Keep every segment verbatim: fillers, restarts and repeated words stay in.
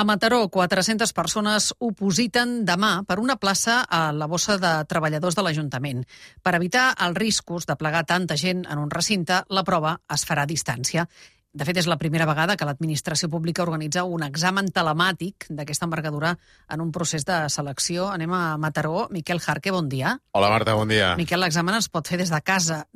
A Mataró, quatre-centes persones opositen demà per una plaça a la bossa de treballadors de l'Ajuntament. Per evitar els riscos de plegar tanta gent en un recinte, la prova es farà a distància. De fet, és la primera vegada que l'administració pública organitza un examen telemàtic d'aquesta envergadura en un procés de selecció. Anem a Mataró. Miquel Jarque, bon dia. Hola, Marta, bon dia. Miquel, l'examen es pot fer des de casa.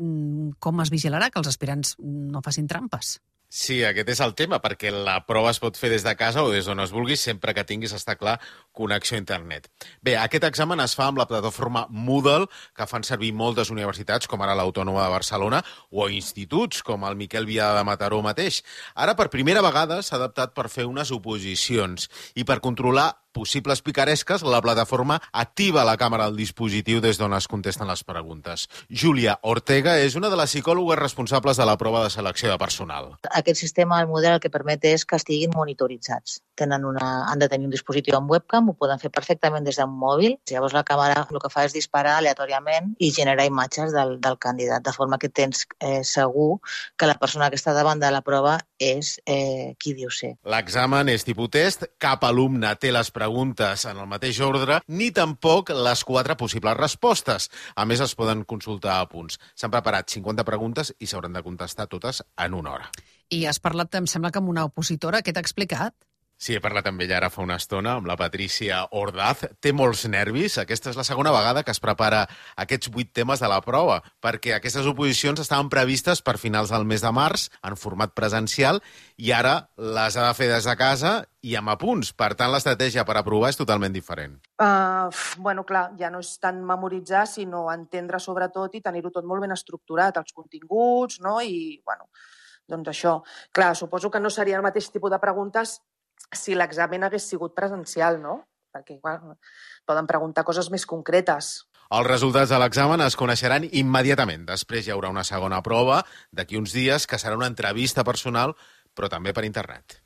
Com es vigilarà que els aspirants no facin trampes? Sí, aquest és el tema, perquè la prova es pot fer des de casa o des d'on es vulgui, sempre que tinguis, està clar, connexió a internet. Bé, aquest examen es fa amb la plataforma Moodle, que fan servir moltes universitats, com ara l'Autònoma de Barcelona, o instituts, com el Miquel Biada de Mataró mateix. Ara, per primera vegada, s'ha adaptat per fer unes oposicions i per controlar possibles picaresques, la plataforma activa la càmera del dispositiu des d'on es contesten les preguntes. Júlia Ortega és una de les psicòlogues responsables de la prova de selecció de personal. Aquest sistema, el model, el que permet és que estiguin monitoritzats. Tenen una, han de tenir un dispositiu amb webcam, ho poden fer perfectament des d'un mòbil. Llavors la càmera el que fa és disparar aleatòriament i generar imatges del, del candidat, de forma que tens eh, segur que la persona que està davant de la prova és eh, qui diu ser. L'examen és tipus test, cap alumne té les preguntes en el mateix ordre, ni tampoc les quatre possibles respostes. A més, es poden consultar a punts. S'han preparat cinquanta preguntes i s'hauran de contestar totes en una hora. I has parlat, em sembla, que amb una opositora. Què t'ha explicat? Sí, he parlat amb ella ara fa una estona, amb la Patricia Ordaz. Té molts nervis. Aquesta és la segona vegada que es prepara aquests vuit temes de la prova, perquè aquestes oposicions estaven previstes per finals del mes de març, en format presencial, i ara les ha de fer des de casa i amb apunts. Per tant, l'estratègia per aprovar és totalment diferent. Uh, bueno, clar, ja no és tant memoritzar, sinó entendre sobretot i tenir-ho tot molt ben estructurat, els continguts, no? I, bueno, doncs això. Clar, suposo que no seria el mateix tipus de preguntes si l'examen hagués sigut presencial, no? Perquè, bueno, poden preguntar coses més concretes. Els resultats de l'examen es coneixeran immediatament. Després hi haurà una segona prova d'aquí uns dies, que serà una entrevista personal, però també per internet.